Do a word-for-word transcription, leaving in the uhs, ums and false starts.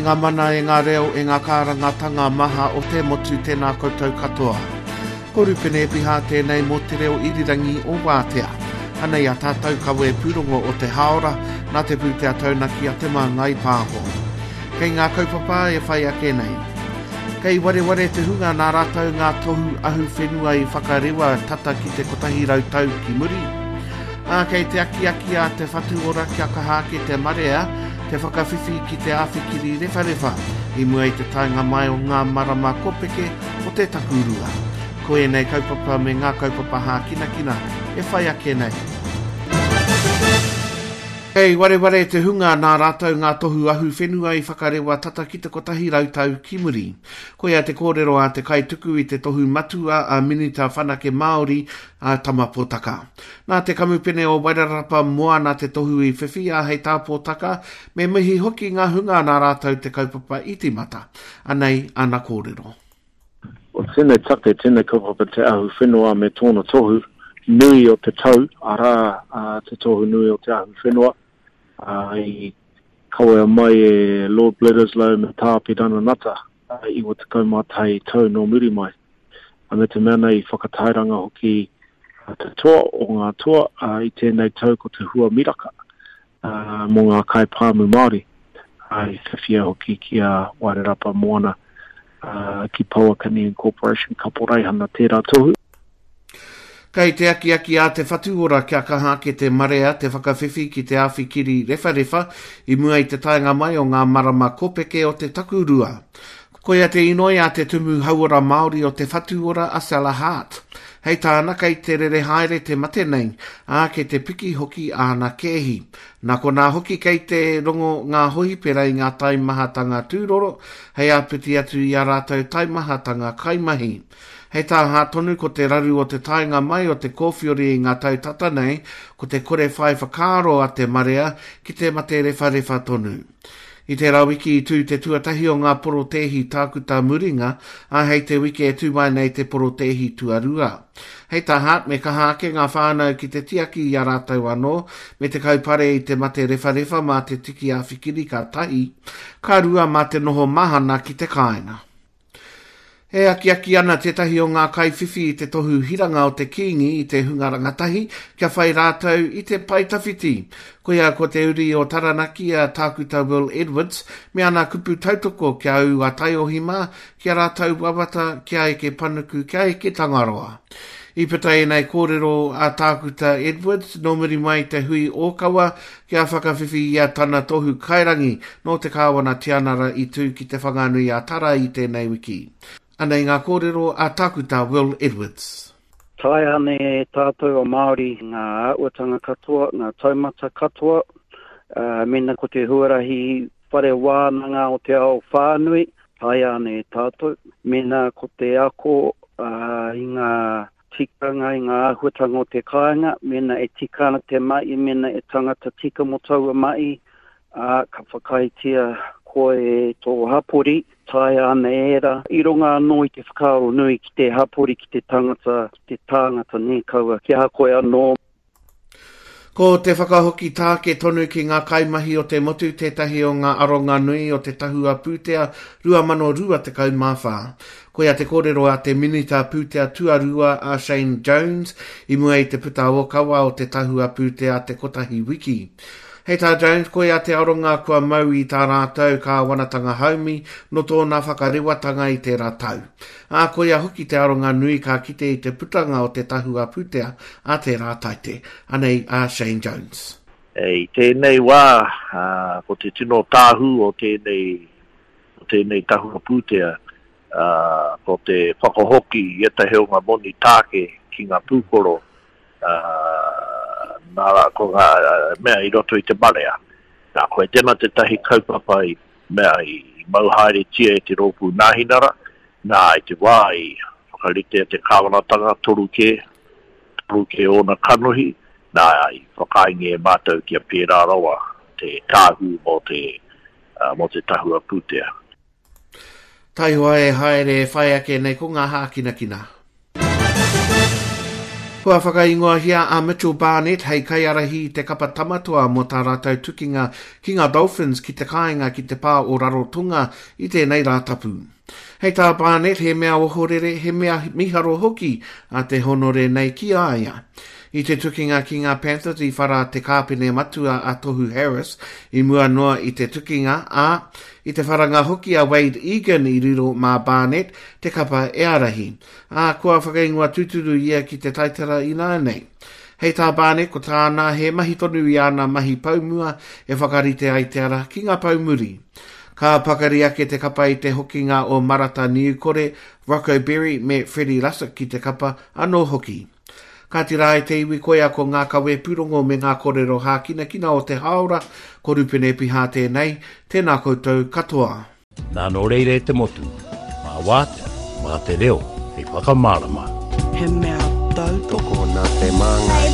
ngā mana, e ngā reo, e ngā kārangatanga maha o te motu, tēnā koutou katoa. Ko Rupene Epiha tēnei mō te reo irirangi o Wātea. Anei a tātou kawe pūrongo o te haora, nā te pūtea taunaki a Te Māngai Pāho. Kei ngā kaupapa e whai ake nei. Kei wareware te hunga nā rātou ngā tohu ahu whenua i whakarewa tata ki te kotahi rau tau ki muri. Ā, kei te akiaki a Te Whatu Ora kia kaha ake te marea, te whakawhiwhi ki te āwhikiri rewharewha i mua i te taenga mai o ngā marama kopeke o te takurua. Ko ēnei kaupapa me ngā kaupapa hākinakina e whai ake nei. Kei wareware te hunga nā rātou ngā tohu ahu whenua i whakarewa tata ki te kotahi rau tau ki muri. Koia te kōrero a te kaituku i te tohu matua a Minita Whanake Māori a Tama Potaka. Nā te kamupene o Wairarapa Moana te tohu i whiwhi a hei tā Potaka, me mihi hoki ngā hunga nā rātou te kaupapa i tīmata. Anei ana kōrero. O tēnei take, tēnei kaupapa te ahu whenua me tōna tohu nui o te tau, arā te tohu nui o te ahu whenua, i kawea mai e Lord Bledisloe me Tā Apirana Ngata iwa tekau mā tahi tau nō muri mai. A me te mea nei i whakatairanga hoki te toa o ngā toa i tēnei tau ko te hua miraka mō ngā kaipāmu Māori. I whiwhia hoki ki a Wairarapa Moana ki Pouakani Incorporation Kaporeihana tērā tohu. Kei te akiaki a Te Whatu Ora kia kaha ake te marea te whakawhiwhi ki te āwhikiri rewharewha i mua i te taenga mai o ngā marama kopeke o te takurua. Koia te inoi a te Tumu Hauora Māori o Te Whatu Ora a Sella Hart. Hei tāna kei te rere haere te mate nei, ā, kei te piki hoki āna kēhi. Nā konā hoki kei te rongo ngā hohipera i ngā taimahatanga tūroro, hei āpiti atu i ā rātou taimahatanga kaimahi. Hei tā Hart tonu ko te raru o te taenga mai o te kōwhiori i ngā tau tata nei, ko te kore whai whakaaro a te marea ki te mate rewharewha tonu. I tērā wiki i tū te tuatahi o ngā porotēhi tākuta muringa, ā, hei te wiki e tū mai nei te porotēhi tuarua. Hei tā Hart, me kaha ake ngā whānau ki te tiaki i a rātou anō, me te kaupare i te mate rewharewha mā te tiki āwhikiri ka tahi, ka rua mā te noho mahana ki te kāinga. E akiaki ana tētahi o ngā kaiwhiwhi i te tohu hiranga o te Kīngi i te hunga rangatahi kia whai rātou i te pae tawhiti. Koia ko te uri o Taranaki a Tākuta Will Edwards me ana kupu tautoko kia ū a taiohi mā, kia rātou wawata, kia eke panuku, kia eke Tangaroa. I puta ēnei kōrero a Tākuta Edwards nō muri mai te hui ōkawa kia whakawhiwhi i a tana tohu kairangi nō te Kāwana Tianara i tū ki te Whanganui a Tara i tēnei wiki. Anei ngā kōrero a Tākuta Will Edwards. Taea ana e tātou o Māori ngā āhuatanga katoa, ngā taumata katoa, uh, mena ko te huarahi whare wānanga o te ao whānui, taea ana e tātou, mena ko te ako uh, i ngā tikanga, i ngā āhuatanga o te kāinga, mena e tika ana te mai, mena e tangata tika mō taua mai, uh, ka whakaaetia koe e tō hapori, taea ana e ērā. I runga anō i te whakaaro nui ki te hapori, ki te tangata, ki te tāngata nē kaua, ki a koe anō. Ko te whakahoki tāke tonu ki ngā kaimahi o te motu tētahi o ngā aronga nui o te tahua pūtea rua mano rua tekau mā whā. Koia te kōrero a te Minita Pūtea Tuarua a Shane Jones i mua i te puta ōkawa o te tahua pūtea te kotahi wiki. Hei tā Jones, koia te aronga kua mau i tā rātou kāwanatanga haumi no tōna whakarewatanga i tērā tau. Ā, koia hoki te aronga nui ka kite i te putanga o te tahua pūtea a tērā taite. Anei a Shane Jones. E, i tēnei wā, ā, ko te tino tāhu o tēnei, o tēnei tahua pūtea, ā, ko te whakahoki i ētahi o ngā moni tāke ki ngā pūkoro, ā, nā rā, ko ngā mea i roto i te marea. Nā, koe tēnā tētahi kaupapa i mea i mau haeretia e te rōpū Nāhinara, nā i te wā i whakaritea te kāwanatanga toru kē, toru kē ōna kanohi, nā i whakaaingi e mātou kia pērā rawa te tāhu mō te, uh, mō te tahua pūtea. Taihoa e haere e whai ake nei ko ngā hākinakina. Kua whakaingoahia a Mitchell Barnett hei kaiārahi i te kapa Tamatoa mō tā rātou tukinga ki ngā Dolphins ki te kāinga ki te pā o Rarotonga i tēnei Rātapu. Hei tā Barnett, he mea ohorere, he mea miharo hoki a te honore nei ki a ia. I te tukinga ki ngā Panthers i whara te kāpene matua a Tohu Harris i mua noa i te tukinga, ā, i te wharanga hoki a Wade Egan i riro mā Barnett te kapa e ārahi. Ā, kua whakaingoa tūturu ia ki te taitara ināianei. Hei tā Barnett, ko tāna he mahi tonu i āna mahi poumua e whakarite ai te ara ki ngā poumuri. Ka pakari ake te kapa i te hokinga o Marata Niukore, Rocco Berry me Freddie Lussick ki te kapa anō hoki. Kāti rā e te iwi koia ko ngā kawe pūrongo me ngā kōrero hākinakina o te hāora, ko Rupene Piha tēnei, tēnā koutou katoa. Nā nō reira e te motu, mā wātea, mā te reo, hei whakamārama. He mea tautoko Tokona te māngai.